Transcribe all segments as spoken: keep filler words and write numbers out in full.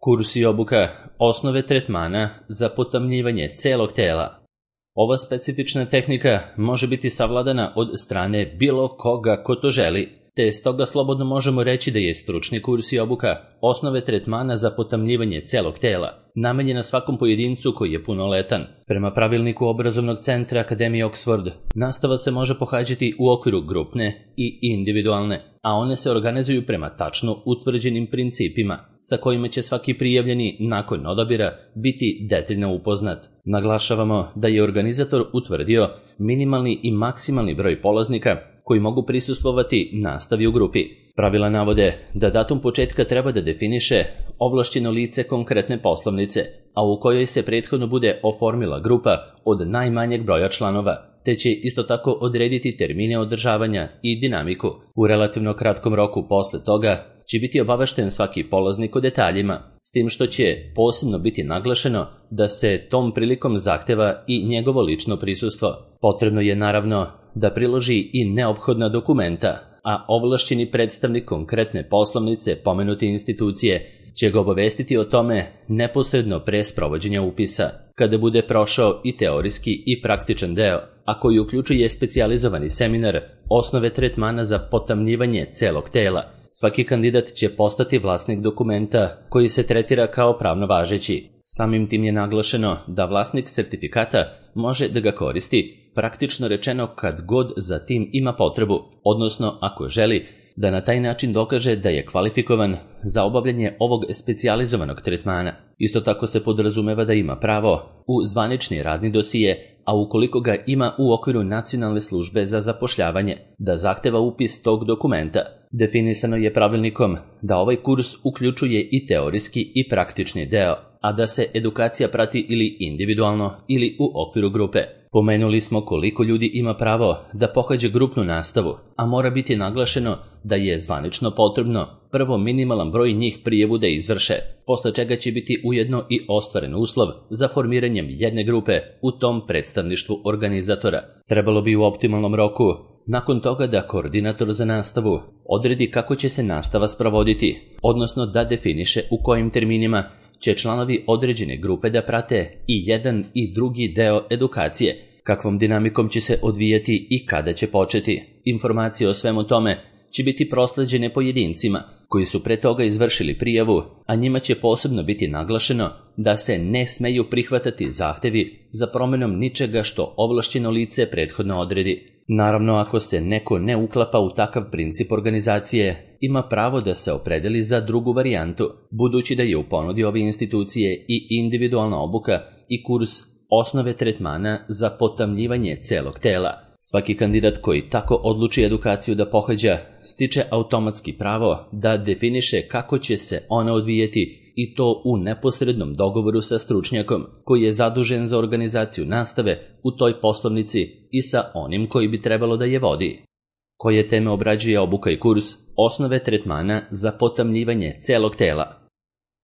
Kurs i obuka osnove tretmana za potamnjivanje celog tela. Ova specifična tehnika može biti savladana od strane bilo koga ko to želi, te stoga slobodno možemo reći da je stručni kurs i obuka osnove tretmana za potamnjivanje celog tela, namenjena svakom pojedincu koji je punoletan. Prema pravilniku obrazovnog centra Akademije Oxford, nastava se može pohađati u okviru grupne i individualne, a one se organizuju prema tačno utvrđenim principima, sa kojima će svaki prijavljeni nakon odabira biti detaljno upoznat. Naglašavamo da je organizator utvrdio minimalni i maksimalni broj polaznika koji mogu prisustvovati nastavi u grupi. Pravila navode da datum početka treba da definiše ovlašćeno lice konkretne poslovnice, a u kojoj se prethodno bude oformila grupa od najmanjeg broja članova, te će isto tako odrediti termine održavanja i dinamiku. U relativno kratkom roku posle toga će biti obavešten svaki polaznik o detaljima, s tim što će posebno biti naglašeno da se tom prilikom zahteva i njegovo lično prisustvo. Potrebno je naravno da priloži i neophodna dokumenta, a ovlašćeni predstavnik konkretne poslovnice pomenute institucije će ga obavestiti o tome neposredno pre sprovođenja upisa, kada bude prošao i teorijski i praktičan deo, a koji uključuje specijalizovani seminar osnove tretmana za potamnjivanje celog tela. Svaki kandidat će postati vlasnik dokumenta koji se tretira kao pravno važeći. Samim tim je naglašeno da vlasnik sertifikata može da ga koristi, praktično rečeno kad god za tim ima potrebu, odnosno ako želi da na taj način dokaže da je kvalifikovan za obavljanje ovog specijalizovanog tretmana. Isto tako se podrazumeva da ima pravo u zvanični radni dosije, a ukoliko ga ima u okviru Nacionalne službe za zapošljavanje, da zahteva upis tog dokumenta. Definisano je pravilnikom da ovaj kurs uključuje i teorijski i praktični deo, a da se edukacija prati ili individualno ili u okviru grupe. Pomenuli smo koliko ljudi ima pravo da pohađa grupnu nastavu, a mora biti naglašeno da je zvanično potrebno prvo minimalan broj njih prijavu da izvrše, posle čega će biti ujedno i ostvaren uslov za formiranjem jedne grupe u tom predstavništvu organizatora. Trebalo bi u optimalnom roku nakon toga da koordinator za nastavu odredi kako će se nastava sprovoditi, odnosno da definiše u kojim terminima će članovi određene grupe da prate i jedan i drugi deo edukacije, kakvom dinamikom će se odvijati i kada će početi. Informacije o svemu tome će biti prosleđene pojedincima koji su pre toga izvršili prijavu, a njima će posebno biti naglašeno da se ne smeju prihvatati zahtevi za promenom ničega što ovlašćeno lice prethodno odredi. Naravno, ako se neko ne uklapa u takav princip organizacije, ima pravo da se opredeli za drugu varijantu, budući da je u ponudi ove institucije i individualna obuka i kurs osnove tretmana za potamnjivanje celog tela. Svaki kandidat koji tako odluči edukaciju da pohađa, stiče automatski pravo da definiše kako će se ona odvijeti, i to u neposrednom dogovoru sa stručnjakom koji je zadužen za organizaciju nastave u toj poslovnici i sa onim koji bi trebalo da je vodi. Koje teme obrađuje obuka i kurs osnove tretmana za potamnjivanje celog tela?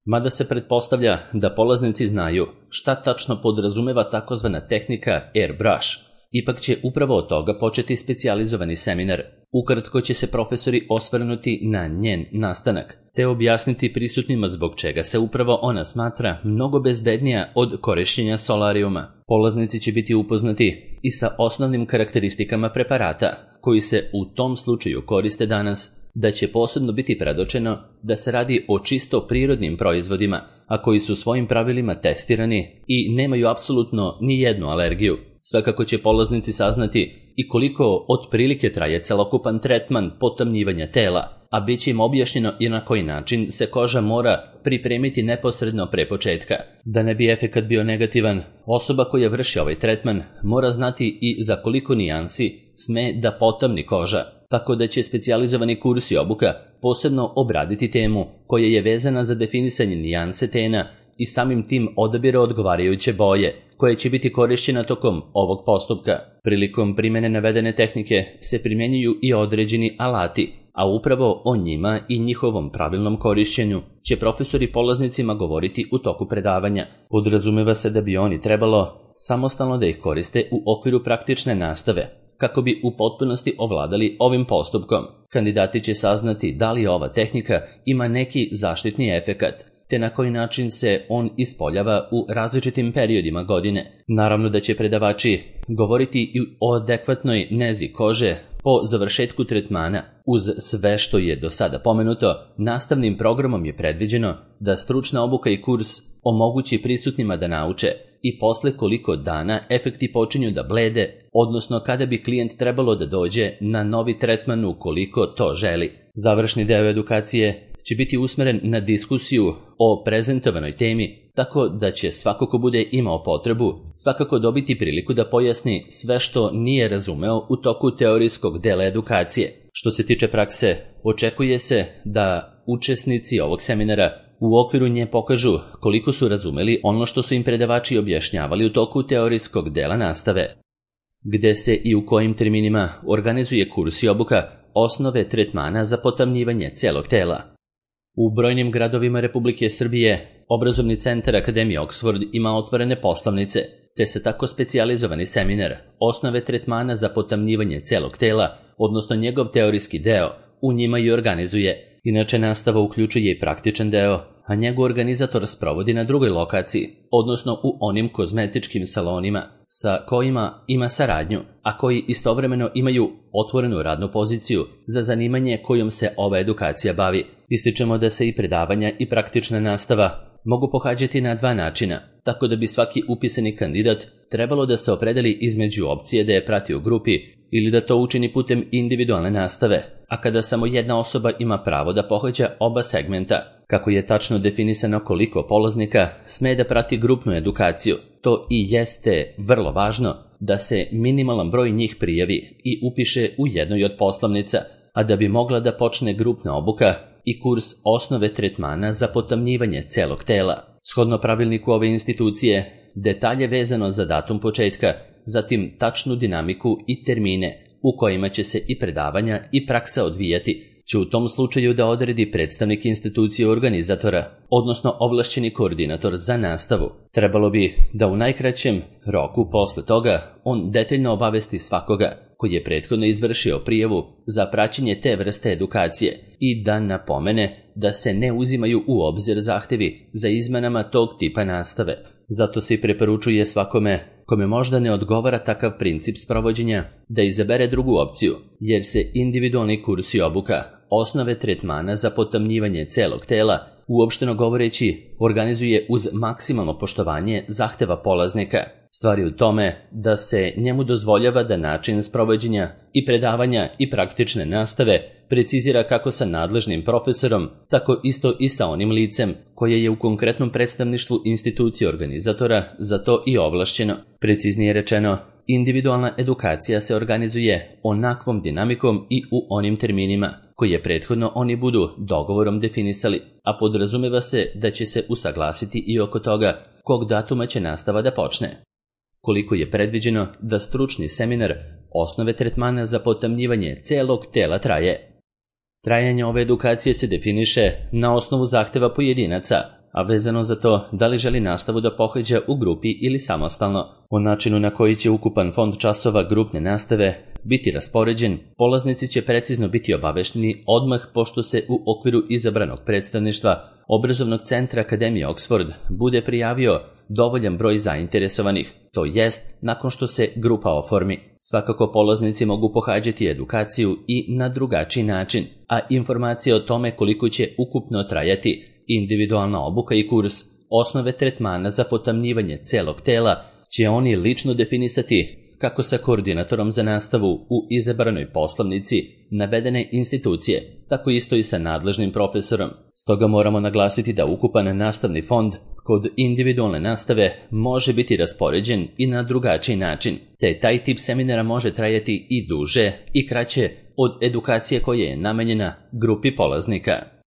Mada se pretpostavlja da polaznici znaju šta tačno podrazumeva takozvana tehnika airbrush, ipak će upravo od toga početi specijalizovani seminar. Ukratko će se profesori osvrnuti na njen nastanak, te objasniti prisutnima zbog čega se upravo ona smatra mnogo bezbednija od korišćenja solarijuma. Polaznici će biti upoznati i sa osnovnim karakteristikama preparata koji se u tom slučaju koriste danas, da će posebno biti predočeno da se radi o čisto prirodnim proizvodima, a koji su svojim pravilima testirani i nemaju apsolutno ni jednu alergiju. Svakako će polaznici saznati i koliko otprilike traje celokupan tretman potamnjivanja tela, a bit će im objašnjeno i na koji način se koža mora pripremiti neposredno pre početka. Da ne bi efekat bio negativan, osoba koja vrši ovaj tretman mora znati i za koliko nijansi sme da potamni koža, tako da će specijalizovani kurs i obuka posebno obraditi temu koja je vezana za definisanje nijanse tena i samim tim odabira odgovarajuće boje, koje će biti korišćena tokom ovog postupka. Prilikom primene navedene tehnike se primjenjuju i određeni alati, a upravo o njima i njihovom pravilnom korišćenju će profesori polaznicima govoriti u toku predavanja. Podrazumeva se da bi oni trebalo samostalno da ih koriste u okviru praktične nastave, kako bi u potpunosti ovladali ovim postupkom. Kandidati će saznati da li ova tehnika ima neki zaštitni efekat, te na koji način se on ispoljava u različitim periodima godine. Naravno da će predavači govoriti i o adekvatnoj nezi kože po završetku tretmana. Uz sve što je do sada pomenuto, nastavnim programom je predviđeno da stručna obuka i kurs omogući prisutnima da nauče i posle koliko dana efekti počinju da blede, odnosno kada bi klijent trebalo da dođe na novi tretman ukoliko to želi. Završni deo edukacije će biti usmeren na diskusiju o prezentovanoj temi, tako da će svako ko bude imao potrebu svakako dobiti priliku da pojasni sve što nije razumeo u toku teorijskog dela edukacije. Što se tiče prakse, očekuje se da učesnici ovog seminara u okviru nje pokažu koliko su razumeli ono što su im predavači objašnjavali u toku teorijskog dela nastave. Gde se i u kojim terminima organizuje kurs i obuka osnove tretmana za potamnjivanje celog tela. U brojnim gradovima Republike Srbije obrazovni centar Akademije Oxford ima otvorene poslovnice, te se tako specijalizovani seminar osnove tretmana za potamnjivanje celog tela, odnosno njegov teorijski deo, u njima i organizuje. Inače, nastava uključuje i praktičan deo, a njegov organizator sprovodi na drugoj lokaciji, odnosno u onim kozmetičkim salonima sa kojima ima saradnju, a koji istovremeno imaju otvorenu radnu poziciju za zanimanje kojom se ova edukacija bavi. Ističemo da se i predavanja i praktična nastava mogu pohađati na dva načina, tako da bi svaki upisani kandidat trebalo da se opredeli između opcije da je prati u grupi ili da to učini putem individualne nastave, a kada samo jedna osoba ima pravo da pohađa oba segmenta. Kako je tačno definisano koliko polaznika sme da prati grupnu edukaciju, to i jeste vrlo važno da se minimalan broj njih prijavi i upiše u jednoj od poslovnica, a da bi mogla da počne grupna obuka i kurs osnove tretmana za potamnjivanje celog tela. Shodno pravilniku ove institucije, detalje vezano za datum početka, zatim tačnu dinamiku i termine u kojima će se i predavanja i praksa odvijati, će u tom slučaju da odredi predstavnik institucije organizatora, odnosno ovlašćeni koordinator za nastavu. Trebalo bi da u najkraćem roku posle toga on detaljno obavesti svakoga koji je prethodno izvršio prijavu za praćenje te vrste edukacije i da napomene da se ne uzimaju u obzir zahtevi za izmenama tog tipa nastave. Zato se i preporučuje svakome kome možda ne odgovara takav princip sprovođenja da izabere drugu opciju, jer se individualni kurs i obuka osnove tretmana za potamnjivanje celog tela, uopšteno govoreći, organizuje uz maksimalno poštovanje zahteva polaznika. Stvar je u tome da se njemu dozvoljava da način sprovođenja i predavanja i praktične nastave precizira kako sa nadležnim profesorom, tako isto i sa onim licem koje je u konkretnom predstavništvu institucije organizatora za to i ovlašćeno. Preciznije rečeno, individualna edukacija se organizuje onakvom dinamikom i u onim terminima koje prethodno oni budu dogovorom definisali, a podrazumeva se da će se usaglasiti i oko toga kog datuma će nastava da počne. Koliko je predviđeno da stručni seminar osnove tretmana za potamnjivanje celog tela traje. Trajanje ove edukacije se definiše na osnovu zahteva pojedinaca, a vezano za to da li želi nastavu da pohađa u grupi ili samostalno. O načinu na koji će ukupan fond časova grupne nastave biti raspoređen, polaznici će precizno biti obavešteni odmah pošto se u okviru izabranog predstavništva Obrazovnog centra Akademije Oxford bude prijavio dovoljan broj zainteresovanih, to jest nakon što se grupa oformi. Svakako polaznici mogu pohađati edukaciju i na drugačiji način, a informacije o tome koliko će ukupno trajati individualna obuka i kurs osnove tretmana za potamnjivanje celog tela će oni lično definisati kako sa koordinatorom za nastavu u izabranoj poslovnici navedene institucije, tako isto i sa nadležnim profesorom. Stoga moramo naglasiti da ukupan nastavni fond kod individualne nastave može biti raspoređen i na drugačiji način, te taj tip seminara može trajati i duže i kraće od edukacije koja je namenjena grupi polaznika.